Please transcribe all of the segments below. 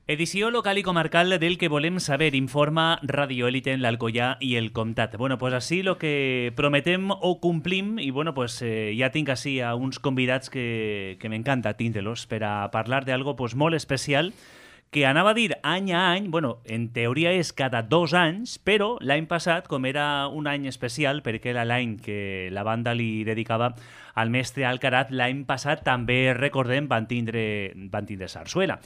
Edició local i comarcal del que volem saber, informa Radio Élite en l'Alcoià i el Comtat. Bueno, pues així lo que prometem o complim, i bueno, pues ja tinc així a uns convidats que m'encanta tindre-los per a parlar d'algo pues molt especial, que anava a dir any a any, bueno, en teoria és cada 2 anys, però l'any passat, com era un any especial, perquè era l'any que la banda li dedicava al mestre Alcaraz, l'any passat també, recordem, van tindre sarsuela.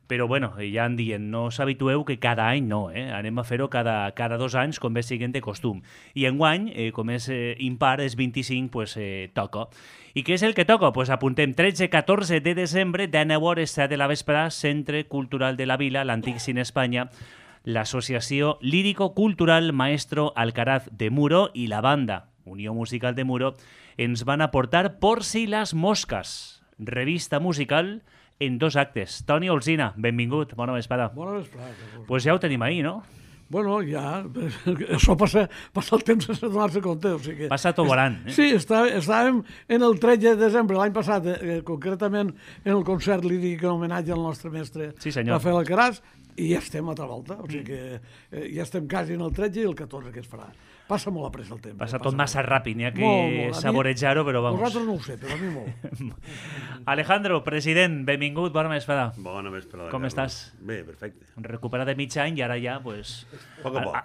Però, bueno, ja en dient, no s'habitueu que cada any no, anem a fer-ho cada 2 anys, com bé siguin de costum. I enguany, com és impar, és 25, pues toca. I què és el que toca? Pues apuntem 13-14 de desembre, de 9 hores 7 de la vesprà, Centre Cultural de la Vila, l'Antic Cine Espanya, l'Associació Lírico-Cultural Maestro Alcaraz de Muro i la banda Unió Musical de Muro ens van aportar Por si las moscas, revista musical en 2 actes. Toni Olsina, benvingut, bona vesprada. Bona vesprada. Pues ja ho tenim ahí, no? Bueno, ja, això passa el temps sense donar-se compte. O sigui que passa tot volant. Sí, estàvem en el 13 de desembre l'any passat, concretament en el concert líric en homenatge al nostre mestre Rafael Alcaraz, i ja estem a altra volta. O sigui que ja estem quasi en el 13 i el 14 que es farà. Passa molt a pressa el temps. Passa tot massa ràpid, n'hi ha que saborejar-ho, però vamos. Vosaltres no ho sé, però a mi molt. Alejandro, president, benvingut, bona vesprada. Bona vesprada. Com estàs? Bé, perfecte. Recuperat de mig any i ara ja, pues,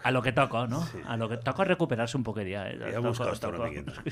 a lo que toca, no? Sí. A lo que toca recuperar-se un poquet ja. Ja mos costa una miqueta.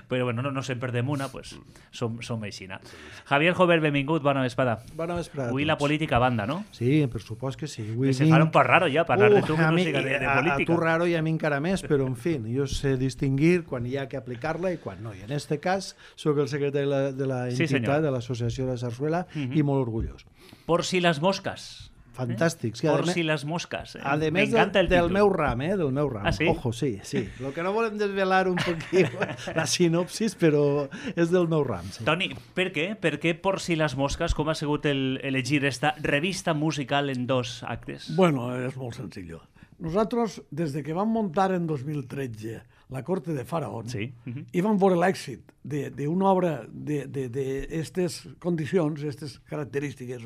Però bueno, no se'n perdem una, pues, som aixina. Javier Jover, benvingut, bona vesprada. Bona vesprada. Avui la política a banda, no? Sí, per supost que sí. Que se fa un poc raro ja parlar de tu que no siga de política. A tu raro i a mi encara més, però en fi, jo sé distingir quan hi ha que aplicar-la i quan no. I en este cas soc el secretari de la entitat, de l'Associació de Sarsuela, i molt orgullós. Por si las moscas. Fantàstics. Por si las moscas. A més del meu ram, del meu ram. Ah, sí? Ojo, sí. Lo que no volem desvelar un poquit la sinopsis, però és del meu ram. Sí. Toni, per què? Per què Por si las moscas? Com ha sigut elegir esta revista musical en 2 actes? Bueno, és molt senzill. Nosaltres, des de que vam muntar en 2013 la Corte de Faraón, sí. I vam veure l'èxit d'una obra d'aquestes condicions, aquestes característiques,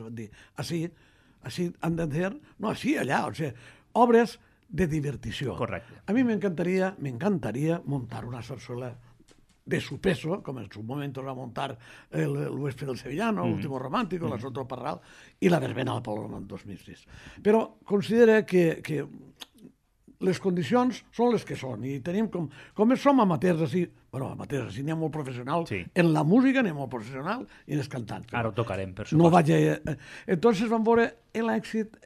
així han de ser, no així, allà, o sigui, obres de divertició. Correcte. A mi m'encantaria muntar una sarsuela de su peso, como en su momento va a montar el Huésped del Sevillano, el Último Romántico, la Sotro Parral i la Verbena del Paloma en 2006. Però considera que les condicions són les que són i tenim com som amateurs així, n'hi ha molt professional, en la música n'hi ha molt professional i en els cantants. Ara ho tocarem, per supost. No vaig entonces van veure l'èxit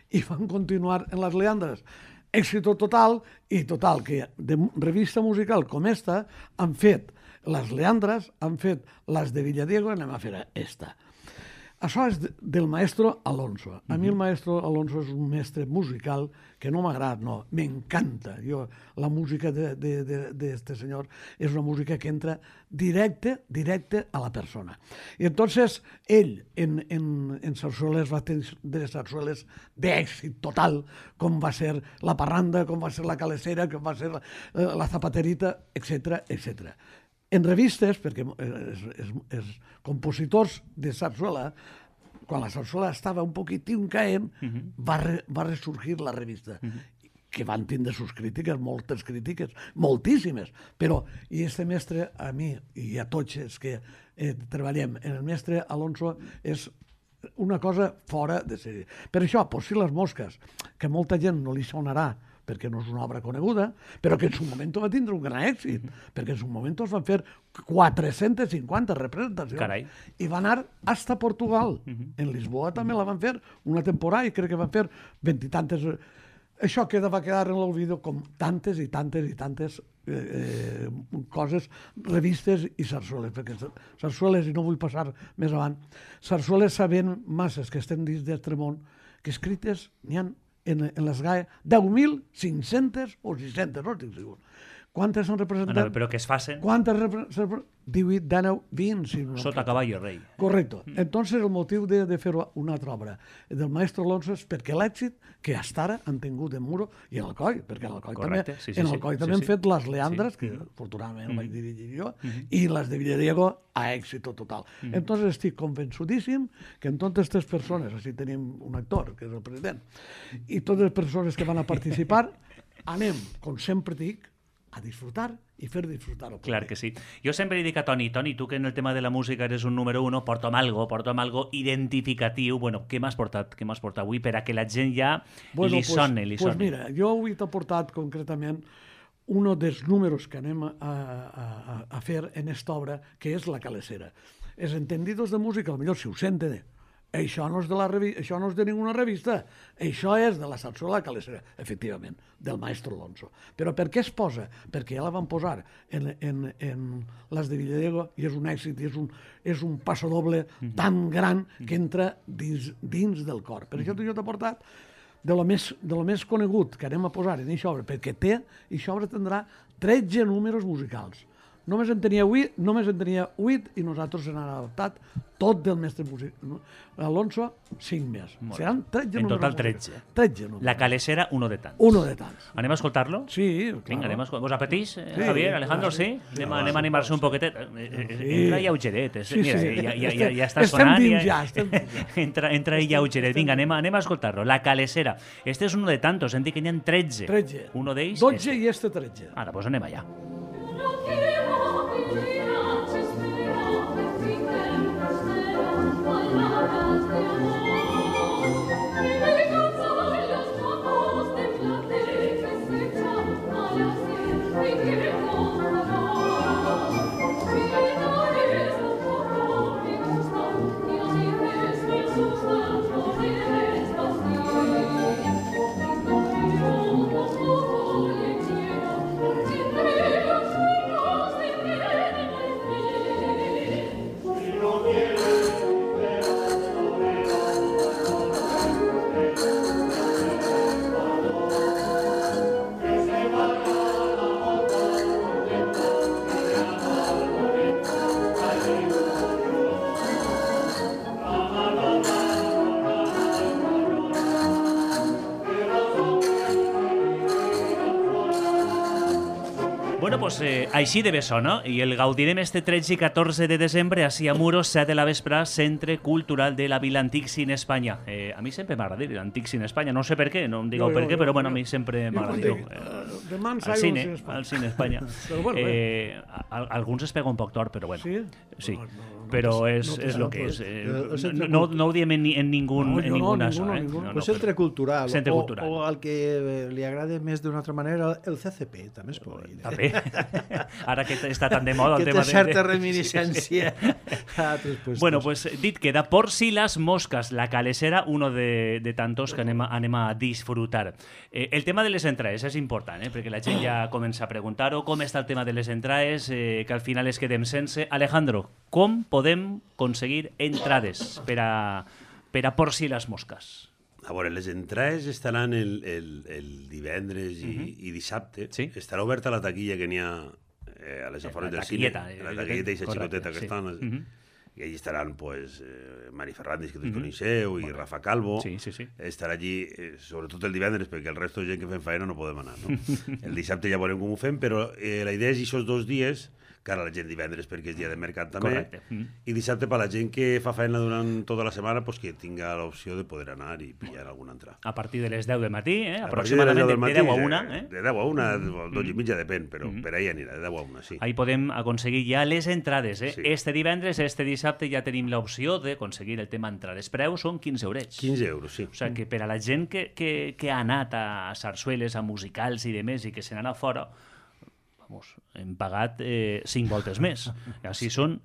i van continuar en les leandres. Èxito total, que de revista musical com esta han fet les Leandres, han fet les de Villadiego, anem a fer esta. Això és del maestro Alonso. A mi el maestro Alonso és un mestre musical que no m'agrada, no, m'encanta. La música d'este senyor és una música que entra directe a la persona. I entonces ell en sarsueles va tenir sarsueles d'èxit total, com va ser la parranda, com va ser la calesera, com va ser la zapaterita, etc. En revistes, perquè els compositors de sarsuela, quan la sarsuela estava un poquitín caent, va ressurgir la revista, que van tindre sus crítiques, moltes crítiques, moltíssimes, però, i este mestre, a mi i a tots els que treballem, el mestre Alonso és una cosa fora de sèrie. Per això, Por si las moscas, que molta gent no li sonarà, perquè no és una obra coneguda, però que en su moment va tindre un gran èxit, perquè en su moment es van fer 450 representacions. Carai. I van anar hasta Portugal. En Lisboa també la van fer una temporada i crec que van fer 20 i tantes. Això va quedar en l'olvido com tantes i tantes coses, revistes i sarsueles, perquè sarsueles, i no vull passar més avant, sarsueles sabent masses que estem dins d'altre món, que escrites n'hi ha en les GAE 10.500 o 600, no estic segur. Quantes s'han representat? Però que es facin? 18, 19, 20. Si no Sota caballo rei. Correcto. Entonces el motiu de fer una altra obra del maestro Alonso és perquè l'èxit que hasta ara han tingut en Muro i en Alcoi, perquè en Alcoi Correcte, també, sí, en Alcoi també han fet les Leandres, Sí. que afortunadament ho vaig dirigir jo, i les de Villadiego a èxit total. Entonces estic convençudíssim que en totes aquestes persones, així tenim un actor, que és el president, i totes les persones que van a participar, anem, com sempre dic, a disfrutar i fer disfrutar el públic. Clar que sí. Jo sempre li dic a Toni, tu que en el tema de la música eres un número 1, porta'm algo identificatiu. Bueno, què m'has portat avui per a que la gent ja li soni. Pues mira, jo avui t'he portat concretament un dels números que anem a fer en esta obra, que és La Calesera. Els entendidos de música, potser si ho senten, això no és de això no és de ninguna revista, això és de la sarsuela La Calesera, efectivament, del maestro Alonso. Però per què es posa? Perquè ja la van posar en les de Villadiego i és un èxit, i és un passadoble tan gran que entra dins del cor. Per això jo t'he portat de lo més conegut que anem a posar en aquesta obra, perquè aquesta obra tindrà 13 números musicals. Només en tenia 8 i nosaltres n'hem adaptat tot del mestre Alonso, 5 més. Seran 13 números. En total 13. 13 números. La Calesera, uno de tants. Uno de tants. Anem a escoltar-lo? Sí, Vinga, claro. ¿Vos apetís, Javier, Alejandro? Sí? Anem a animar-se un poquetet. Entra lleugeret. Mira, ja està sonant. Estem dins ja. Entra lleugeret. Vinga, anem a escoltar-lo. La Calesera. Este és uno de tantos. Hem dit que n'hi ha 13. 13. Uno d'ells... 12 i este 13. Ara, doncs anem allà. Bueno, pues així de bé sona, i el gaudirem este 13 i 14 de desembre així a Muros, 7 de la vespre, Centre Cultural de la Vila Antic Cine Espanya. A mi sempre m'agrada dir l'Antic Cine Espanya, no sé per què, no em digueu per què, però bueno, a mi sempre m'agrada dir al Cine Espanya. Alguns es pega un poc tort, però bueno. Sí, però és el que és. No ho diem en ninguna zona. Pues Centre Cultural, o al que li agrada més d'una altra manera, el CCP, també es pot dir. També. Ara que està tan de moda el tema de... Que té certa reminiscència a altres puestos. Bueno, pues dit queda Por si las moscas, La Calesera, uno de tantos que anem a disfrutar. El tema de les entrades és important, perquè la gent ja comença a preguntar-ho, com està el tema de les entrades, que al final es quedem sense. Alejandro, com podem aconseguir entrades per a Por si las moscas? A veure, les entrades estaran el divendres i dissabte. Sí. Estarà oberta la taquilla que n'hi ha a les afores del cine. La taquilleta i la xicoteta que estan. I allí estaran pues, Mari Ferrandis, que tots coneixeu, i Rafa Calvo. Sí. Estarà allí, sobretot el divendres, perquè el resto de gent que fem faena no podem anar. No? El dissabte ja veurem com ho fem, però la idea és aquests 2 dies, cara a la gent divendres perquè és dia de mercat també. Correcte. I dissabte per la gent que fa feina durant tota la setmana pues, que tinga l'opció de poder anar i pillar alguna entrada. A partir de les 10 del matí, aproximadament de 10 a 1. De 10 a 1, 12 i mitja depèn, però per ahí anirà, de 10 a 1, sí. Ahí podem aconseguir ja les entrades. Sí. Este divendres, este dissabte ja tenim l'opció d'aconseguir el tema entrades. Preus són 15 eurets. 15 euros, sí. O sigui que per a la gent que ha anat a sarsueles, a musicals i demés i que se n'ha anat fora, hem pagat 5 voltes més. Així són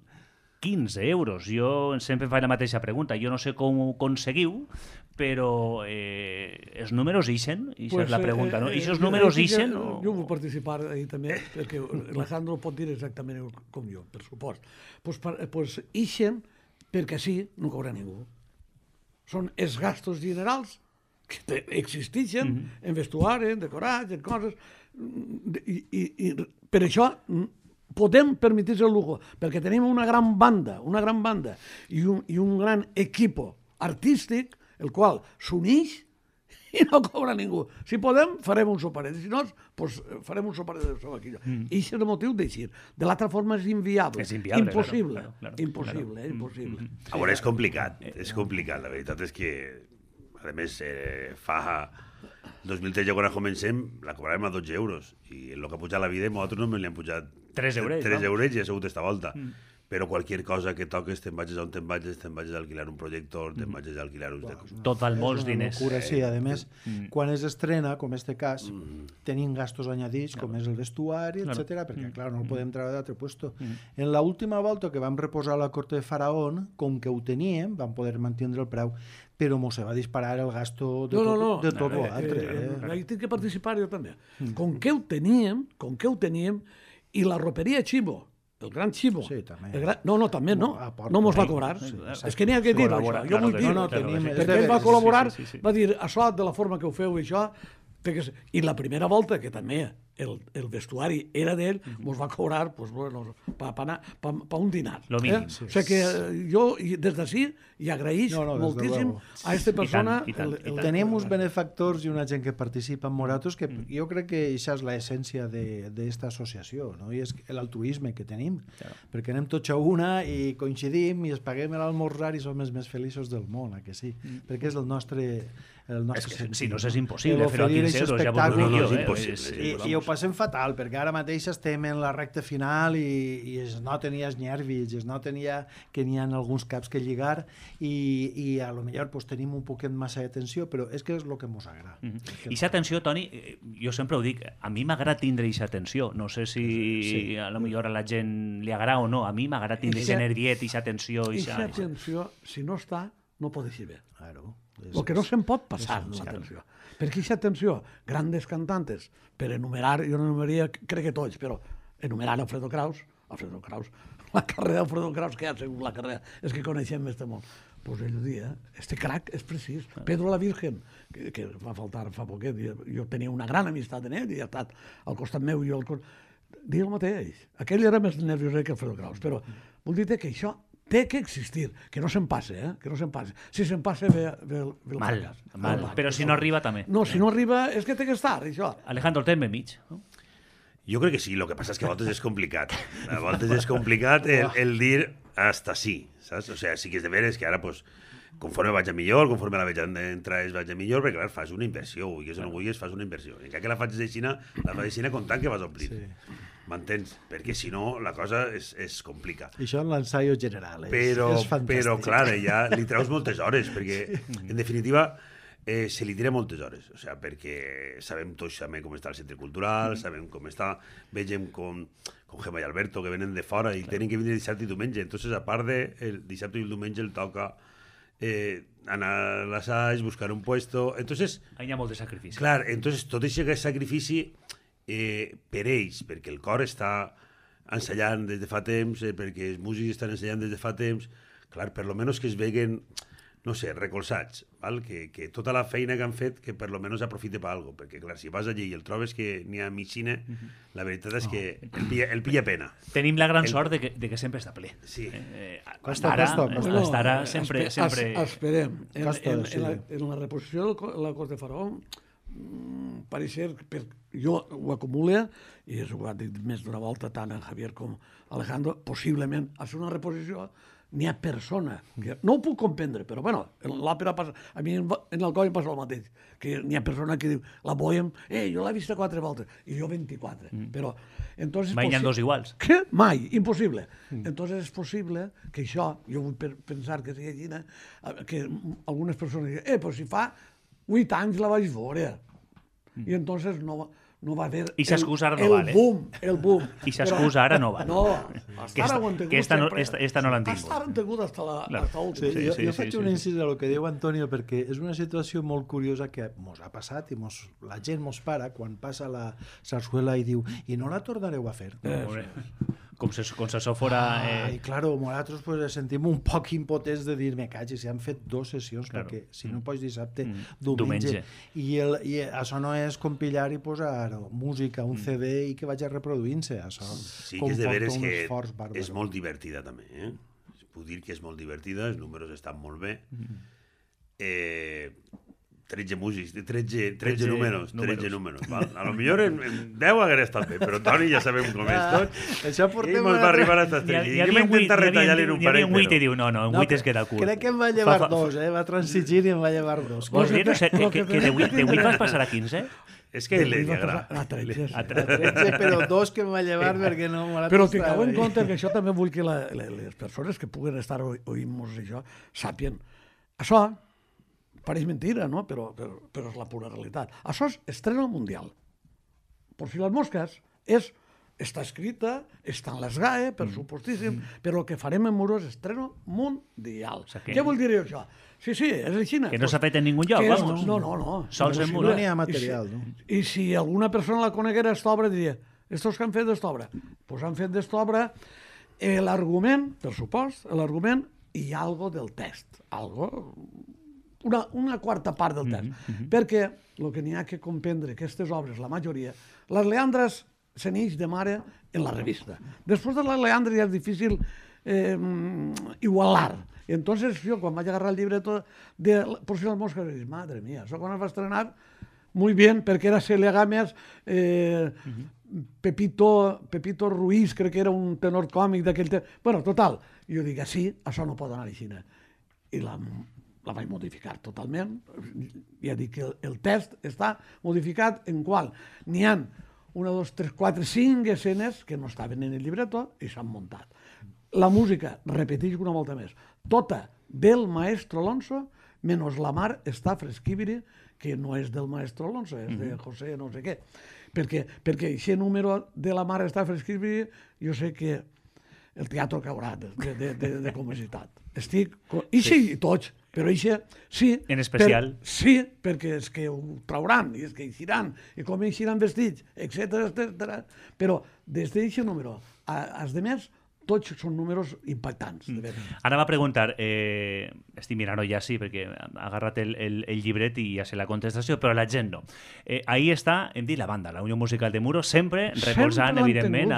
15 euros. Jo sempre faig la mateixa pregunta. Jo no sé com ho aconseguiu, però els números ixen? Ixa és la pregunta, no? Ixos números ixen? Jo vull participar ahí també, perquè Alejandro pot dir exactament com jo, per supost. Pues ixen perquè sí, no cobra ningú. Són els gastos generals que existeixen en vestuari, en decorats, en coses, i per això podem permetir-se el lujo, perquè tenim una gran banda i un gran equip artístic, el qual s'uneix i no cobra ningú. Si podem, farem un soperet. Si no, pues, farem un soperet de aquí. I això és el motiu d'eixir. De l'altra forma és inviable. És inviable, impossible. Claro. Impossible. A veure, és complicat. És complicat. La veritat és que, a més, fa 2013, quan comencem, la cobràvem a 12 euros. I el que ha pujat la vida, nosaltres només li han pujat 3 eurets, 3 eurets i ha sigut esta volta. Però qualsevol cosa que toques, te'n vagis on te'n vagis a alquilar un projector, te'n vagis a alquilar uns de coses. Tot val molts diners. Locura, sí, a més, quan es estrena, com en este cas, tenim gastos añadits, com és el vestuari, etc, perquè, clar, no el podem treure d'altre puesto. En la última volta que vam reposar la corte de Faraón, com que ho teníem, vam poder mantenir el preu, però mos va disparar el gasto de tot l'altre. Ahí tinc que participar jo també. Com que ho teníem, i la roperia Chivo, el gran Chivo. Sí, també. No, també no. No mos va cobrar. És que n'hi ha que dir això. Jo vull dir, perquè ell va col·laborar, va dir, això, de la forma que ho feu, això... I la primera volta, que també el vestuari era d'ell, mos va cobrar pa un dinar. Lo mínim. O sigui que jo, des d'ací, hi agraïs moltíssim a aquesta persona. Tenim uns benefactors i una gent que participa en Moratos, que jo crec que això és l'essència d'esta associació, no? I és l'altruisme que tenim, perquè anem tots a una i coincidim i es paguem l'almorzar i som els més feliços del món, que sí, perquè és el nostre sentit. Si no, és impossible fer-ho a 15 euros, ja vos dic jo. És impossible. I ho passem fatal, perquè ara mateix estem en la recta final i es noten ja els nervis, es noten ja que n'hi ha alguns caps que lligar i a lo millor pues, tenim un poquet massa de tensió, però és que és el que mos agrada. I aquesta tensió, Toni, jo sempre ho dic, a mi m'agrada tindre aquesta tensió. No sé si a lo millor a la gent li agrada o no. A mi m'agrada tindre aquest nerviet, aquesta tensió. Aquesta tensió, si no està, no pot eixir bé. Claro. El que no se'n pot passar, l'atenció. Perquè aquesta atenció, grandes cantantes, per enumerar, jo no enumeraria, crec que tots, però enumerar Alfredo Kraus, la carrera d'Alfredo Kraus, que ha sigut la carrera, és que coneixem este món. Pues ell ho dia, este crack és precís. Pedro la Virgen, que va faltar fa poquet, jo tenia una gran amistat en ell, i ha estat al costat meu i jo al costat... Diu el mateix. Aquell era més nerviós que Alfredo Kraus, però vull dir que això té que existir, que no se'n passe, que no se'n passe. Si se'n passa, ve el fracàs. Mal. Però si no arriba, també. No, si no arriba, és que té que estar, això. Alejandro, el temps mig. Jo crec que sí, el que passa és que a voltes és complicat. A voltes és complicat el dir hasta sí, saps? O sigui, sí que és de veres que ara, pues, conforme vaig a millor, conforme la veig entrar vaig a millor, perquè clar, fas una inversió, vulguis o no vulguis, fas una inversió. I que la faig de Xina, la faig de Xina comptant que vas omplir. Sí. M'entens? Perquè si no, la cosa es complica. I això en l'ensaio general és fantàstic. Però clar, ja li treus moltes hores, perquè, en definitiva, se li tira moltes hores, o sigui, perquè sabem tots també com està el centre cultural, sabem com està, vegem com Gemma i Alberto, que venen de fora i tenen que venir dissabte i diumenge, entonces a part de el dissabte i el diumenge el toca anar a l'assaig, buscar un puesto, entonces... Hi ha molt de sacrifici. Clar, entonces tot aquest sacrifici per ells, perquè el cor està ensayant des de fa temps, perquè els músics estan ensayant des de fa temps, clar, per lo menos que es veguen, no sé, recolzats, val? Que tota la feina que han fet, que per lo menos aprofite per alguna cosa, perquè clar, si vas allí i el trobes que n'hi ha mig cine, la veritat és que el pilla pena. Tenim la gran sort de que sempre està ple. Sí. Costa. Estarà sempre... Esperem. En la reposició de la Cort de Faraó, pareix ser, jo ho acumule, i ho ha dit més d'una volta tant en Javier com Alejandro, possiblement a ser una reposició n'hi ha persona. No ho puc comprendre, però bueno, en l'òpera passa... A mi en l'Alcoi passa el mateix, que n'hi ha persona que diu, la Bohem, jo l'he vista 4 voltes, i jo 24. Però, entonces... Mai n'hi ha dos iguals. Què? Mai, impossible. Entonces és possible que això, jo vull pensar que sigui així, que algunes persones diuen, però si fa 8 anys la vaig veure. I entonces no va haver el boom. I s'excusa ara no va. No, hasta ara ho han tingut sempre. Esta no l'han tingut. Hasta ara han tingut hasta l'últim. Jo faig un incís a lo que diu Antonio, perquè és una situació molt curiosa que mos ha passat i la gent mos para quan passa la sarsuela i diu, i no la tornareu a fer? com si això fora... I claro, nosaltres pues, sentim un poc impotents de dir, me caig, si han fet 2 sessions, Claro. perquè si no pots dissabte, Diumenge. I això no és compillar i posar música, un CD i que vagi reproduint-se. Això Sí que és de veres comporta un que esforç bàrbar. és molt divertida també, Puc dir que és molt divertida, els números estan molt bé. 13 músics, 13 números. Val? A lo millor en 10 hagués estat bé, però Toni ja sabem com és tot. Això I portem... mos va arribar a estar 13. Jo m'he intentat retallar-li en un Hi havia parell, un 8 i però... diu, no, en 8 es queda curt. Crec que em va llevar 2, va transigir i em va llevar 2. Vols dir, no sé, que de 8 vas passar a 15? És que li agrada. A 13. Però 2 que em va llevar perquè no... Però tingueu en compte que això també vull que les persones que puguen estar oint-nos això sàpien. Això pareix mentira, no? Però és la pura realitat. Això és estreno mundial. Por si les mosques està escrita, està en les GAE, per supostíssim, però el que farem en Muro és estreno mundial. Què vol dir això? Sí, és així. Que no s'ha fet en ningú lloc, vamos. No. Sols en No Muro. n'hi ha material, no? I si alguna persona la coneguera esta obra, diria, estos que han fet d'esta obra? Doncs han fet d'esta obra l'argument, per supost, l'argument i algo del text. Una quarta part del text. Perquè el que n'hi ha que comprendre, aquestes obres, la majoria, les Leandres se n'eix de mare en la revista. Després de les Leandres ja és difícil igualar. Entonces jo, quan vaig agarrar el llibreto de Por si las moscas, dic, madre mía, això quan es va estrenar, muy bien, perquè era Celia Gámez, Pepito Ruiz, crec que era un tenor còmic d'aquell temps. Bueno, total, jo dic, sí, això no pot anar així. I la vaig modificar totalment. Ja dic que el text està modificat en qual n'hi ha 1, 2, 3, 4, 5 escenes que no estaven en el llibreto i s'han muntat. La música, repeteix una volta més, tota del maestro Alonso, menys La mar està fresquibri, que no és del maestro Alonso, és de José no sé què. Perquè aquest número de La mar està fresquibri, jo sé que el teatre caurà de comicitat. I tots, però sí. En especial. Sí, perquè és que ho trauran, i és que eixiran, i com eixiran vestits, etc. Però des d'aquest número, als demés, tots són números impactants. Ara va preguntar, estic mirant-ho ja sí, perquè ha agarrat el llibret i ja sé la contestació, però la gent no. Ahí està, hem dit, la banda, la Unió Musical de Muro, sempre recolzant, evidentment,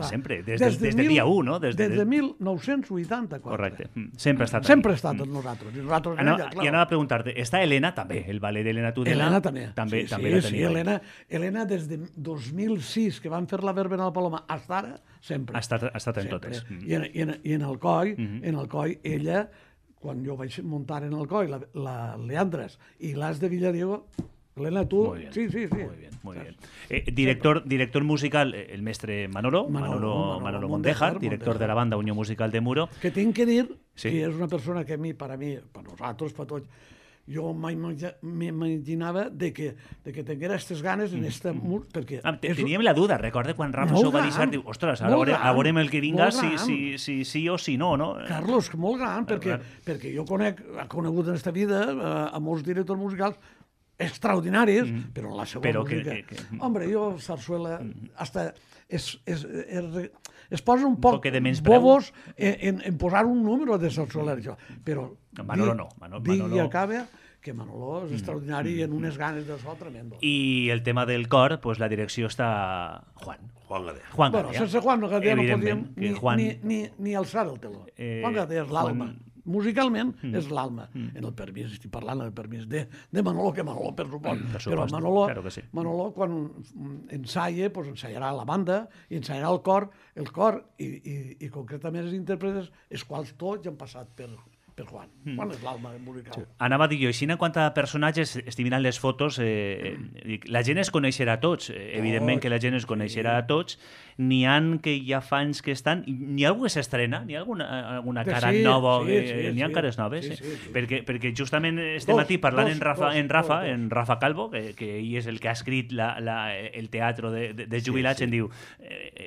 sempre, des del dia 1, no? Des de 1984. Correcte, sempre ha estat sempre ha estat amb nosaltres. I anava a preguntar-te, està Helena també, el ballet d'Helena Tudela? Helena també. També la sí, tenia. Helena des de 2006, que van fer la verbena al Paloma, fins ara, sempre. Ha estat en totes. I en el Coi, ella, quan jo vaig muntar en el Coi, la Leandres i l'As de Villadiego, Helena, tu... Muy bien, sí. Muy bien. Director musical, el mestre Manolo Mondejar, director de la banda Unió Musical de Muro. Que tinc que dir que és una persona que per nosaltres, per tots, jo mai m'imaginava de que tinguera aquestes ganes en este mur, perquè... Teníem la duda, recorda quan Rafa s'ho va deixar, diu, ostres, ara veurem el que vinga si sí o si no, no? Carlos, molt gran, perquè jo he conegut en aquesta vida a molts directors musicals extraordinaris, però en la seva música... Hombre, jo, Sarsuela, hasta es posa un poc bobos en posar un número de Sarsuela, però... Manolo no. Digui i acaba que Manolo és extraordinari i en unes ganes de so tremendo. I el tema del cor, pues la direcció està Juan Gadea. Bueno, sense Juan Gadea no podíem ni alçar el teló. Juan Gadea és l'alma. Musicalment és l'alma. En el permís, estic parlant del permís de Manolo, que Manolo, per supost. Però Manolo, quan ensaia, doncs ensaiarà la banda, i ensaiarà el cor i concretament els intèrpretes, els quals tots han passat per Juan. Juan és l'alma musical. Anava a dir jo, així en quant a personatges, estic mirant les fotos, la gent es coneixerà a tots, evidentment que la gent es coneixerà a tots, n'hi ha que ja fa anys que estan, n'hi ha algú que s'estrena? N'hi ha alguna cara nova? N'hi ha cares noves? Perquè justament este matí parlant en Rafa Calvo, que ell és el que ha escrit el teatre de jubilats, em diu,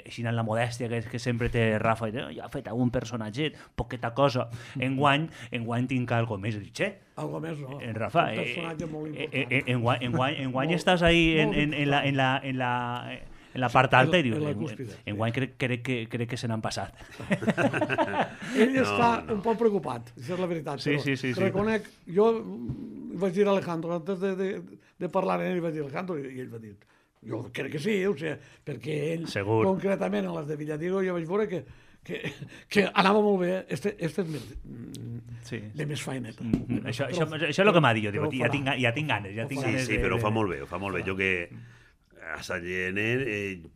així en la modèstia que sempre té Rafa, ja ha fet algun personatget, poqueta cosa, enguany tinc algo més. Algo més, no. Rafa, un personatge molt important. enguany estàs ahí en la part alta i diu, en la cúspide. enguany crec que se n'han passat. Ell està un poc preocupat, això és la veritat. Sí, però sí. Reconec, jo vaig dir a Alejandro, antes de parlar amb ell, vaig dir a Alejandro, i ell va dir, jo crec que sí, o sigui, perquè ell, Segur. concretament en les de Villadiego, jo vaig veure que anava molt bé, este és més, de més faeneta. Això és el que m'ha dit, jo dic, ja tinc ganes. Sí, però ho fa molt bé, Jo que a Sant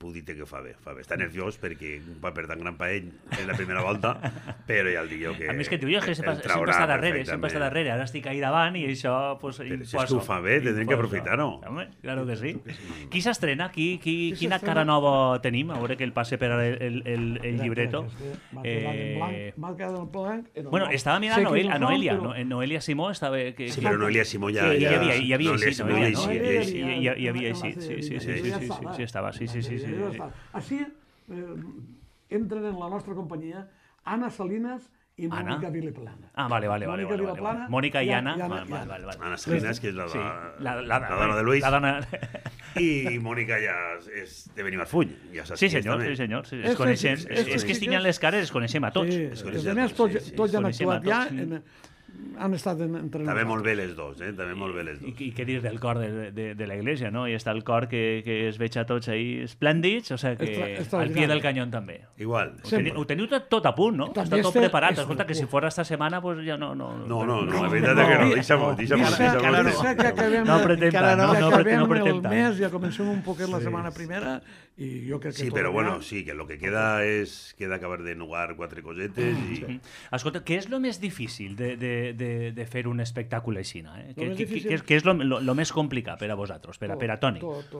puc dir que ho fa bé. Està nerviós perquè un paper tan gran per ell és la primera volta, però ja el dic jo que... A més que tu jo sempre està darrere, ara estic ahí davant i això pues, però si és que ho fa bé, tindrem que aprofitar-ho. Claro que sí. Qui s'estrena? Quina cara nova tenim? A veure que el passe per el llibreto. M'ha quedat en blanc. Bueno, estava mirant a Noelia. Noelia Simó estava... Sí, però Noelia Simó ja... Hi havia eixit. Sí, estava. Així entren en la nostra companyia Anna Salinas i Mònica Vilaplana. Vale. Mònica i Anna. Anna Salinas, que és la dona de Luis. I Mònica ja és de Benimarfull. Sí, senyor. Es coneixem. És que estiguen les cares, es coneixem a tots. A més, tots ja han actuat ja han estat entrenats. També molt bé les dos, I què dir del cor de la Iglesia, no? I està el cor que es veig a tots ahí esplèndids, o sigui que al pie del canyón també. Igual. Ho teniu tot a punt, no? Està tot preparat. Escolta, que si fora esta setmana, pues ja no... No, la veritat és que no. Deixa'm. No pretem el mes, ja comencem un poquet la setmana primera i jo crec que... Sí, però bueno, sí, que el que queda és acabar de nugar 4 cosetes i... Escolta, què és el més difícil de fer un espectacle així? Què és el més complicat per a vosaltres, per a Toni? Tot.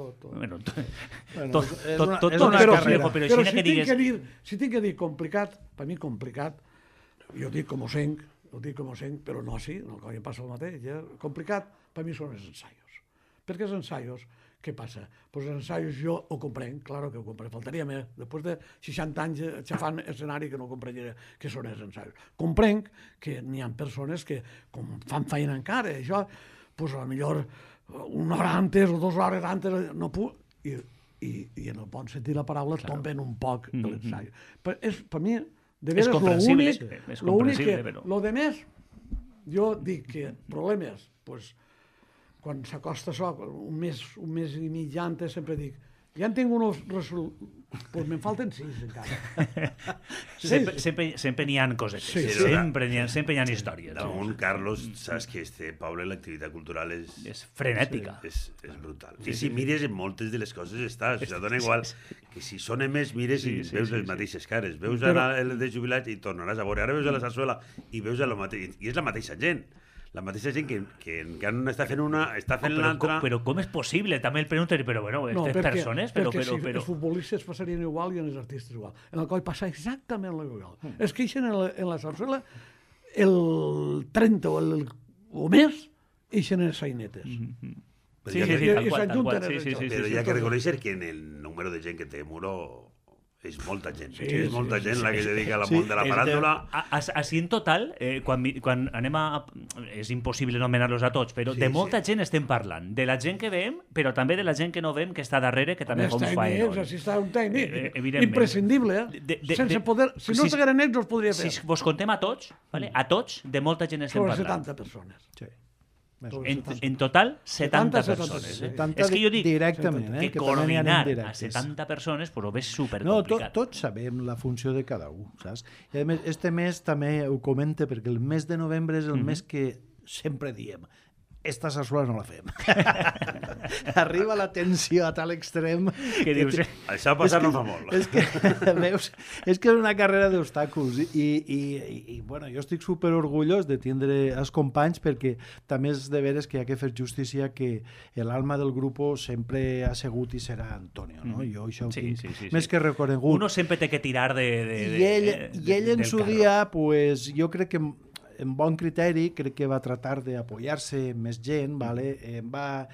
Tot una carrera. Però si tinc que dir complicat, per mi complicat, jo dic com ho sent, però no així, no em passa el mateix. Complicat, per mi són els ensaios. Perquè els ensaios, què passa? Pues els ensaios jo ho comprenc, claro que ho comprenc, faltaria més. Després de 60 anys xafant escenari que no comprenc què són els ensaios. Comprenc que n'hi ha persones que com fan feina encara, això, pues a lo millor una hora antes o 2 hores antes no puc, i en el bon sentit la paraula tomben un poc l'ensai. Per mi, de veres, l'únic que... Lo de més, jo dic que problemes, pues, quan s'acosta això, un mes i mig antes, sempre dic, ja en tinc uns resultats, doncs me'n falten 6 encara. Sempre n'hi ha coses. Sempre n'hi ha històries. Damunt, Carlos, saps que Poble, l'activitat cultural és frenètica. És brutal. I si mires en moltes de les coses estàs, això dona igual que si són més mires i veus les mateixes cares. Veus el de jubilats i tornaràs a veure. Ara veus a la Sarsuela i veus el mateix. I és la mateixa gent. La mateixa gent que encara no està fent una, està fent l'altra... Però com és possible? També el pregunten, però bueno, aquestes persones... Perquè si els futbolistes passarien igual i els artistes igual. En el coll passa exactament igual. Es queixen en la Sarsuela el 30 o més eixen les sainetes. Sí, tal qual. Però hi ha que reconèixer que en el número de gent que té Muro... És molta gent, és molta gent la que es dedica al món de la faràndula. Així en total, quan anem a... És impossible nomenar-los a tots, però de molta gent estem parlant. De la gent que veiem, però també de la gent que no veiem, que està darrere, que també fa un faenón. Així està un tècnic, imprescindible. Sense poder... Si no estigueren ells, els podria fer. Si vos contem a tots, a tots, de molta gent estem parlant. Sobre 70 persones. Sí. En total, 70 persones. És que jo dic que coordinar a 70 persones però és supercomplicat. Tots sabem la funció de cada un, saps? I a més, este mes també ho comente perquè el mes de novembre és el mes que sempre diem esta sarsuela no la fem. Arriba la tensió a tal extrem que dius... Això passar no fa molt. És que és una carrera d'obstacles i bueno, jo estic superorgullós de tindre els companys perquè també és de veres que hi ha que fer justícia que l'alma del grup sempre ha sigut i serà Antonio, no? Jo això ho tinc més que reconegut. Uno sempre té que tirar de... I ell en su dia, pues, jo crec que en bon criteri, crec que va tratar d'apoyar-se més gent, ¿vale? Va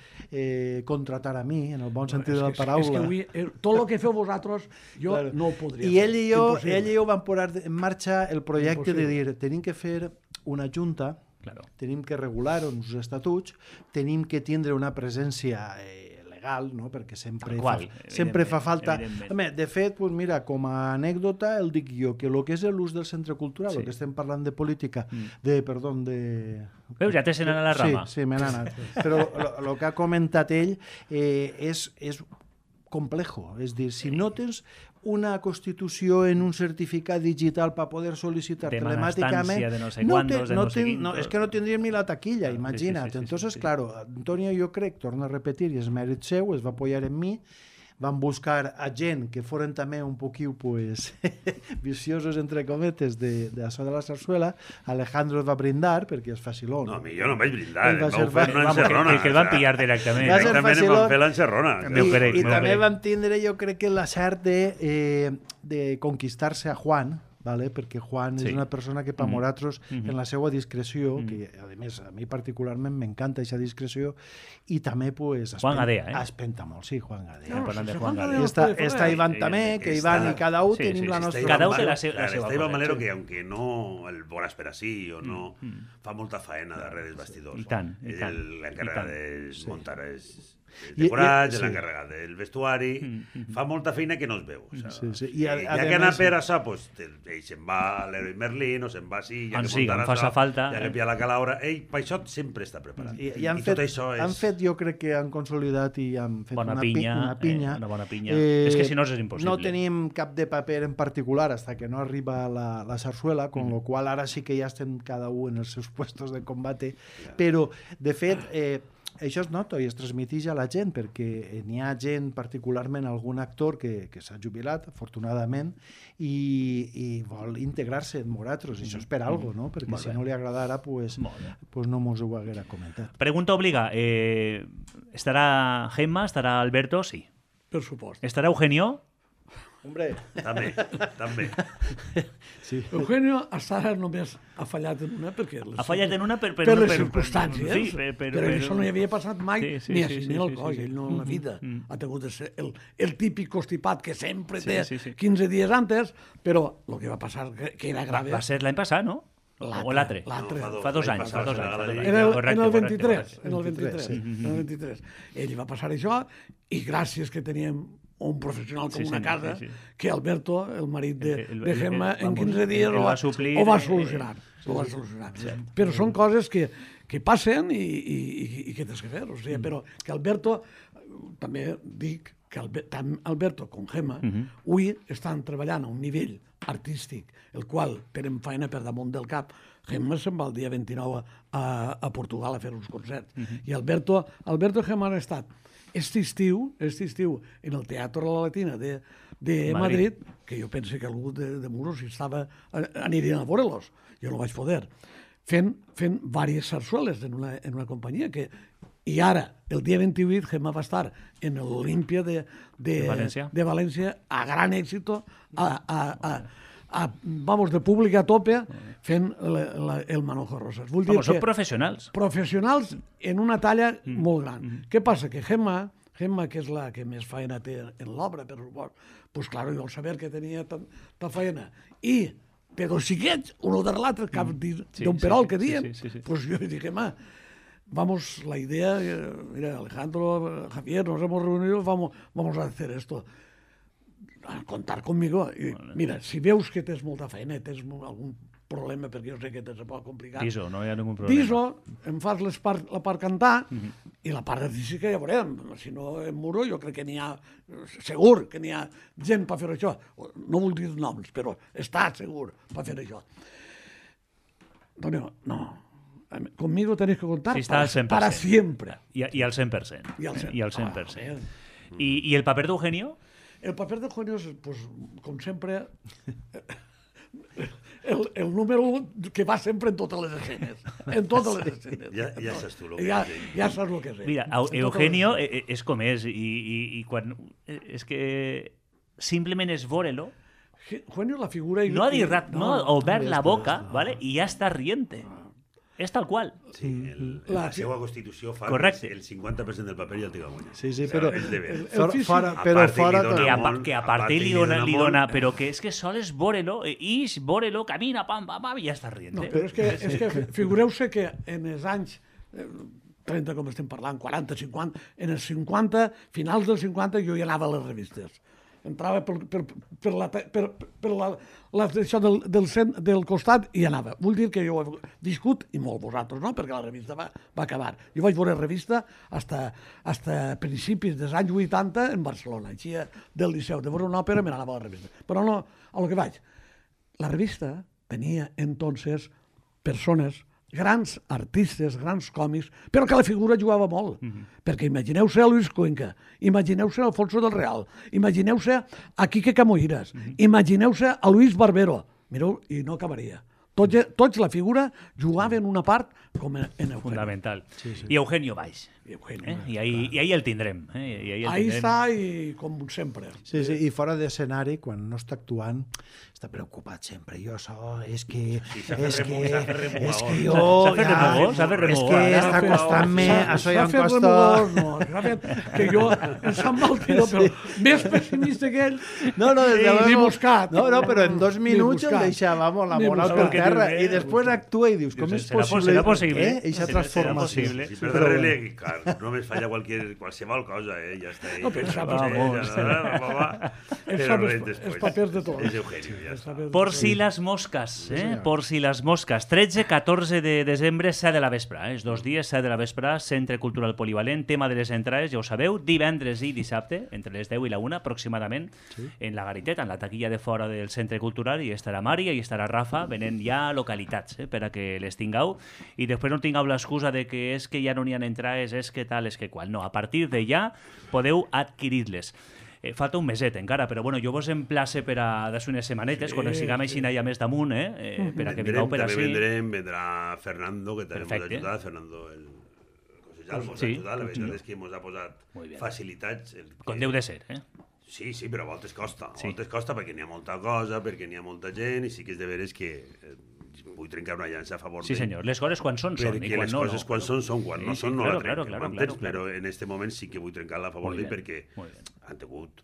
contratar a mi, en el bon sentit de la paraula. És que tot el que feu vosaltres, jo no ho podria fer. I ell i jo vam posar en marxa el projecte de dir, tenim que fer una junta, tenim que regular uns estatuts, tenim que tindre una presència legal, no? Perquè sempre Qual, fa falta. evidentment. De fet, pues mira, com a anècdota, el dic jo, que el que és l'ús del centre cultural, el que estem parlant de política, Veus, ja t'has anat a la rama. Sí, me n'ha anat. Però el que ha comentat ell és complejo. És dir, si no tens una constitució en un certificat digital per poder sol·licitar telemàticament... De no sé quantos, de no sé quintos... No, és que no tindríem ni la taquilla, imagina't. Entonces, claro, Antonio, jo crec, torna a repetir, i és mèrit seu, es va apoyar en mi, van buscar a gent que foren també un poquiu pues, viciosos, entre cometes, d'això de la sarsuela. Alejandro es va brindar, perquè és facilón. No, jo no vaig brindar, Ell va vau ser fer una encerrona. Que el van pillar directament. Va ser Directament em facilón. van fer l'encerrona. I també vam tindre, jo crec que l'acert de conquistar-se a Juan, ¿vale? Perquè Juan és una persona que per nosaltres, en la seva discreció, que a més a mi particularment m'encanta aquesta discreció, i també pues, Juan Gadea, espenta molt, sí, Juan Gadea. No, parlant de Juan Gadea. Gadea. Està Iván també, que Iván i cada un tenim la nostra... Cada un té la seva Està cosa, Iván Malero, que aunque no el veuràs per així o no, fa molta faena darrere dels bastidors. I tant, i tant. L'encarregat de muntar els decorats, l'encarregat del vestuari, fa molta feina que no es veu. Ja que anar per això, ell se'n va a l'Heroi Merlin o se'n va així, ja que faça falta. Ja que pia la calaura, ell per això sempre està preparat. I han fet, jo crec que han consolidat i han fet una pinya. Una bona pinya. És que si no és impossible. No tenim cap de paper en particular hasta que no arriba la sarsuela, con lo qual ara sí que ja estem cada un en els seus puestos de combate, però de fet això es nota i es transmeteix a la gent, perquè n'hi ha gent, particularment algun actor que s'ha jubilat, afortunadament, i vol integrar-se en nosaltres. Això és per algo, no? Perquè si no li agradara, pues no mos ho haguera comentat. Pregunta obliga. ¿Estará Gemma? ¿Estará Alberto? Sí. Per supost. ¿Estará Eugenio? Hombre. També. Sí. Eugenio hasta ara només ha fallat en una perquè... Ha fallat en una per les circumstàncies. Sí, però això no hi havia passat mai ni a ni al coll. Ell no en la vida ha tingut de ser el típic constipat que sempre té 15 dies antes, però el que va passar que era grave... Va ser l'any passat, no? O l'altre? Fa 2 anys. En el 23. Ell va passar això i gràcies que teníem un professional com una casa, que Alberto, el marit de Gemma, en 15 dies ho va solucionar. Però són coses que passen i que tens que fer. O sigui, però que Alberto, també dic que tant Alberto com Gemma avui estan treballant a un nivell artístic, el qual tenen feina per damunt del cap. Gemma se'n va el dia 29 a Portugal a fer uns concerts. I Alberto i Gemma han estat este estiu en el Teatro La Latina de Madrid, que jo pense que algú de Muros anirien a veure-los. Jo no vaig poder. Fent diverses sarsueles en una companyia que... I ara, el dia 28, Gemma va estar en l'Olímpia de València a gran èxito, de públic a tope, fent el Manojo Rosas. Són professionals. Professionals en una talla molt gran. Què passa? Que Gemma, que és la que més feina té en l'obra, per supost, doncs, clar, jo al saber que tenia tanta feina, i té dos xiquets, un darrere l'altre, cap d'un perol que diem, doncs jo dic, Gemma, la idea, mira, Alejandro, Javier, nos hemos reunido, vamos a hacer esto. A contar conmigo. Mira, si veus que tens molta feina, tens algun problema, perquè jo sé que tens poc complicat. Diso, no hi ha ningú problema. Diso, em fas la part cantar i la part artística ja veurem. Si no em muro, jo crec que n'hi ha, segur que n'hi ha gent per fer això. No vull dir noms, però està segur per fer això. Antonio, no. Conmigo tenéis que contar para siempre. Y al 100%. Y al 100%. ¿Y el papel de Eugenio? El paper d'Eugenio és, pues, com sempre, el número 1 que va sempre en totes les escenes. En totes les escenes. Ja saps tu el que és. Ja saps el que és. Mira, Eugenio és com és, i quan... És que simplement és veure-lo. Eugenio, la figura... No ha dit rat, no ha obert la boca, ¿vale? I ja està riente. És tal qual. Sí, la seva Constitució fa que el 50% del paper ja el té guanyat. Sí, però... Que a part li dona... Però que és que sols veure-lo, veure-lo, camina, pam, pam, pam, i ja està rient. No, però és que figureu-se que en els anys 30 com estem parlant, 40, 50... En els 50, finals dels 50, jo ja anava a les revistes. Entrava això del costat i anava. Vull dir que jo he viscut, i molt vosaltres, no? Perquè la revista va acabar. Jo vaig veure revista hasta principis dels anys 80 en Barcelona. Així del Liceu, de veure una òpera, me n'anava a la revista. Però no, a lo que vaig. La revista tenia entonces persones, grans artistes, grans còmics, però que la figura jugava molt. Perquè imagineu-se a Luis Cuenca, imagineu-se a Alfonso del Real, imagineu-se a Quique Camoiras, imagineu-se a Luis Barbero. Mireu, i no acabaria. Tots la figura jugaven una part com en Eugenio. Fundamental. I Eugenio Valls. I ahí el tindrem. Ahí està, i com sempre. Sí, i fora d'escenari, quan no està actuant, està preocupat sempre. Jo és que jo... S'ha fet remugó. És que està costant-me... Això ja em costa... Que jo em sap mal que jo, però més pessimista que ell. Ni buscat. No, però en 2 minuts el deixava la moral per terra i després actua i dius, com és possible? Serà possible. Eixa transformació. Si perdre-li, només falla qualsevol cosa, ja està. No pensava. Els papers de tot. És Eugenio, ja està. Por si las moscas, por si las moscas. 13-14 de desembre, 7 de la vespre. Els 2 dies, 7 de la vespre, Centre Cultural Polivalent, tema de les entrades, ja ho sabeu, divendres i dissabte, entre les 10 i la 1 aproximadament, en la Gariteta, en la taquilla de fora del Centre Cultural, i estarà Mària i estarà Rafa, venent ja localitats, per a que les tingueu, i després no tingueu l'excusa de que és que ja no n'hi ha entrades, és que tal, és que qual. No, a partir de ja podeu adquirir-les. Falta un meset encara, però bueno, jo vos emplace per a des unes setmanetes, quan siguem així ja més damunt, per a que vingueu per així. Vendrà Fernando, que també ens ha ajudat, Fernando el Cosellal, ens ha ajudat, la veritat és que ens ha posat facilitats. Com deu de ser, Sí, però a voltes costa, perquè n'hi ha molta cosa, perquè n'hi ha molta gent, i sí que és de veres que vull trencar una llança a favor Sí, senyor, les coses quan són, i perquè quan les no, coses quan són, quan no són, no la trenquen, claro. però en aquest moment sí que vull trencar-la a favor d'ell, perquè han tingut...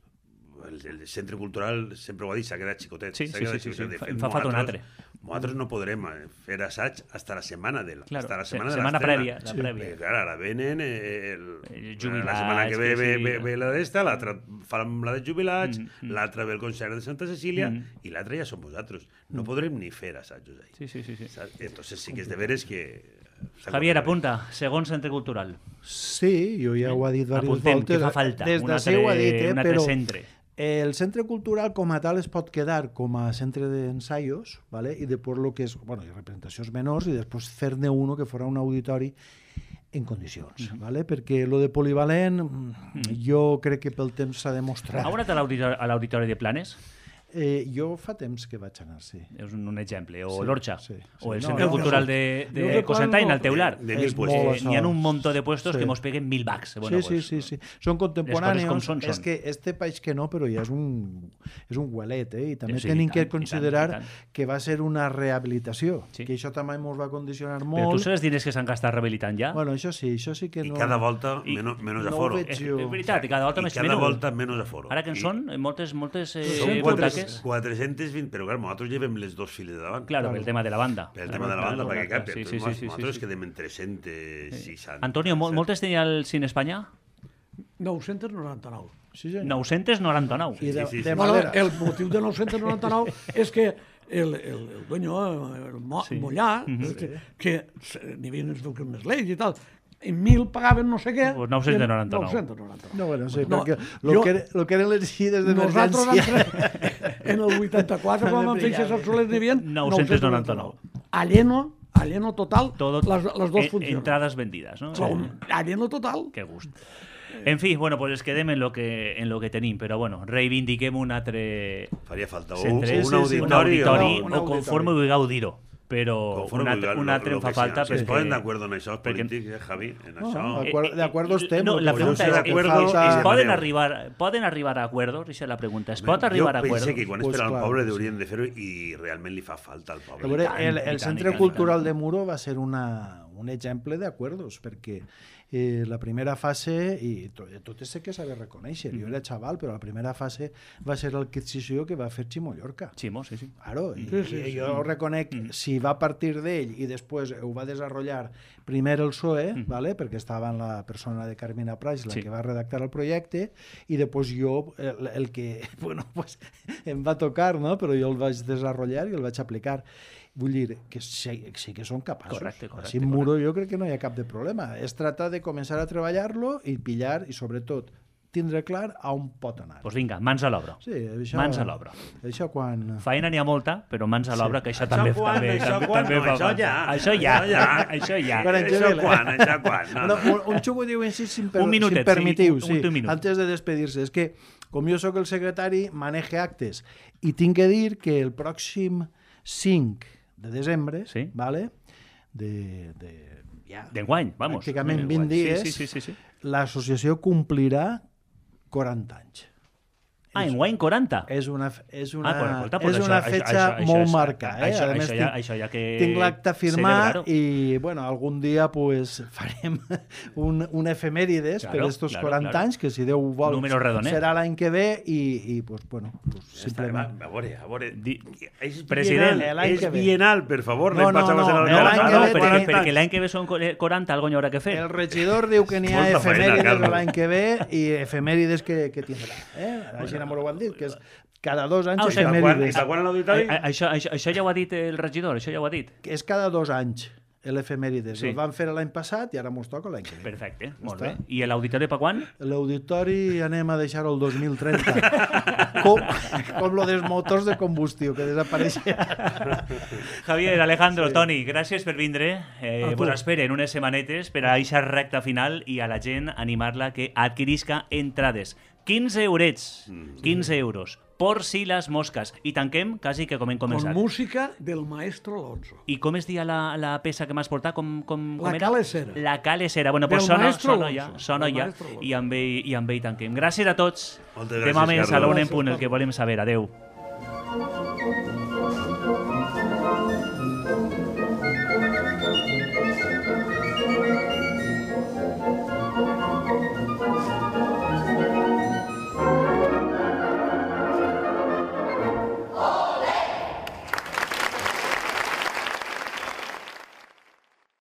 El centre cultural, sempre ho ha dit, s'ha quedat xicotet. Sí. Em fa falta un altre. Nosaltres no podrem fer assaig fins la setmana de setmana prèvia. Clar, ara venen jubilats, la setmana que ve la d'esta, l'altra fan la de jubilats, l'altra ve el concert de Santa Cecília i l'altra ja som vosaltres. No podrem ni fer assajos ahí. Sí. Entonces sí que és de veres que... Javier, apunta, segon centre cultural. Sí, jo ja ho he dit diverses voltes. Apuntem, que fa falta un altre centre. El centre cultural com a tal es pot quedar com a centre d'ensaios, ¿vale? I després lo que és, bueno, representacions menors, i després fer-ne uno que fora un auditori en condicions, ¿vale? Perquè lo de polivalent jo crec que pel temps s'ha demostrat. Ha anat a l'auditori de Planes? Jo fa temps que vaig anar, sí. És un exemple. O l'Orxa. O el No, Centre Cultural de Cosentany, al Teular. N'hi ha un muntó de puestos que mos peguen 1.000 bucks. Sí. Són contemporáneos. Són. És que este país que no, però ja és un huelet, i també tenim que considerar que va ser una rehabilitació, que això també ens va condicionar molt. Però tu saps els diners que s'han gastat rehabilitant ja? Bueno, això sí que no... I cada volta menys aforo. És veritat, cada volta menys aforo. Ara que en són moltes butaques. 420, però clar, nosaltres llevem les 2 files de davant. Claro, el tema de la banda. El tema de la banda, perquè cap, nosaltres quedem en 360. Antonio, moltes tenia el Cine Espanya? 999. Sí, senyor. 999. I de Bueno, madera. el motiu de 999 és que el dueño, el Mollà, que n'hi havia unes lleis i tal, en 1.000 pagaven no sé què... Pues 999. 999. No, bueno, sí, perquè lo que eren les gides d'emergència... Nosaltres, en el 84, quan vam fer César Soler, n'hi havia 999. Alleno total, les dues funcions. Entradas vendidas, ¿no? Alleno total. Qué gust. En fi, bueno, pues quedem en lo que tenim, però bueno, reivindiquem un altre... Faria falta un auditori, o conforme vulgueu dir-ho. Però un altre em fa falta... Si es poden d'acord en això, els polítics, Javi, en això... De acuerdo estem. No, la pregunta és, poden arribar a acuerdos? Això és la pregunta. Es pot arribar a acuerdos? Jo penso que quan és per al poble haurien de fer-ho i realment li fa falta al poble. El Centre Cultural de Muro va ser una un exemple d'acuerdos, perquè la primera fase, i tot és que saber reconèixer, jo era xaval, però la primera fase va ser l'adquisició que va fer Ximo Llorca. Ximo, sí. Claro, i jo reconec, si va partir d'ell i després ho va desenvolupar primer el PSOE, ¿vale? Perquè estava en la persona de Carmina Praix, la que va redactar el projecte, i després jo, el que bueno, pues, em va tocar, no? Però jo el vaig desenvolupar i el vaig aplicar. Vull dir que sí que són capaços. Correcte. Així en Muro jo crec que no hi ha cap de problema. És tractar de començar a treballar-lo i pillar, i sobretot tindre clar a on pot anar. Doncs vinga, mans a l'obra. Sí, mans a l'obra. Això quan... Faena n'hi ha molta, però mans a l'obra, que això també fa Això quan? Això ja. Un xugo diu així, si em minutet, permetiu, sí, un minut. antes de despedir-se. És que, com jo sóc el secretari, maneje actes. I tinc que dir que el pròxim 5 de desembre, ¿vale? d'enguany, vamos. Pràcticament 20 dies, sí. l'associació complirà 40 anys. Enguany 40? És una això, fetxa molt marcada. Això ja que... Tinc l'acte firmat i, bueno, algun dia pues, farem un efemèrides per estos 40 anys, que si Déu vol serà l'any que ve i pues, bueno, simplement... A veure, president, és bienal, per favor. No, perquè l'any que ve són 40, algo n'hi haurà que fer. El regidor diu que n'hi ha efemèrides l'any que ve i efemèrides que tindrà. Així m'ho ho han dit, que és cada 2 anys efemèrides. I quan a l'auditori? Això ja ho ha dit el regidor, això ja ho ha dit. És cada 2 anys l'efemèrides. El van fer l'any passat i ara mos toca l'any que ve. Perfecte, molt bé. I l'auditori per quan? L'auditori anem a deixar-ho el 2030. Com lo dels motors de combustió, que desapareixerà. Javier, Alejandro, Toni, gràcies per vindre. Vos esperen unes setmanetes per a aquesta recta final i a la gent animar-la que adquirisca entrades. 15 eurets, 15 euros, por si les mosques. I tanquem quasi que com hem començat. Con música del maestro Alonso. I com es dia la peça que m'has portat? La calesera. La calesera. Bueno, pues sona ja. I amb ell tanquem. Gràcies a tots. Demà més a l'una en punt, el que volem saber. Adeu.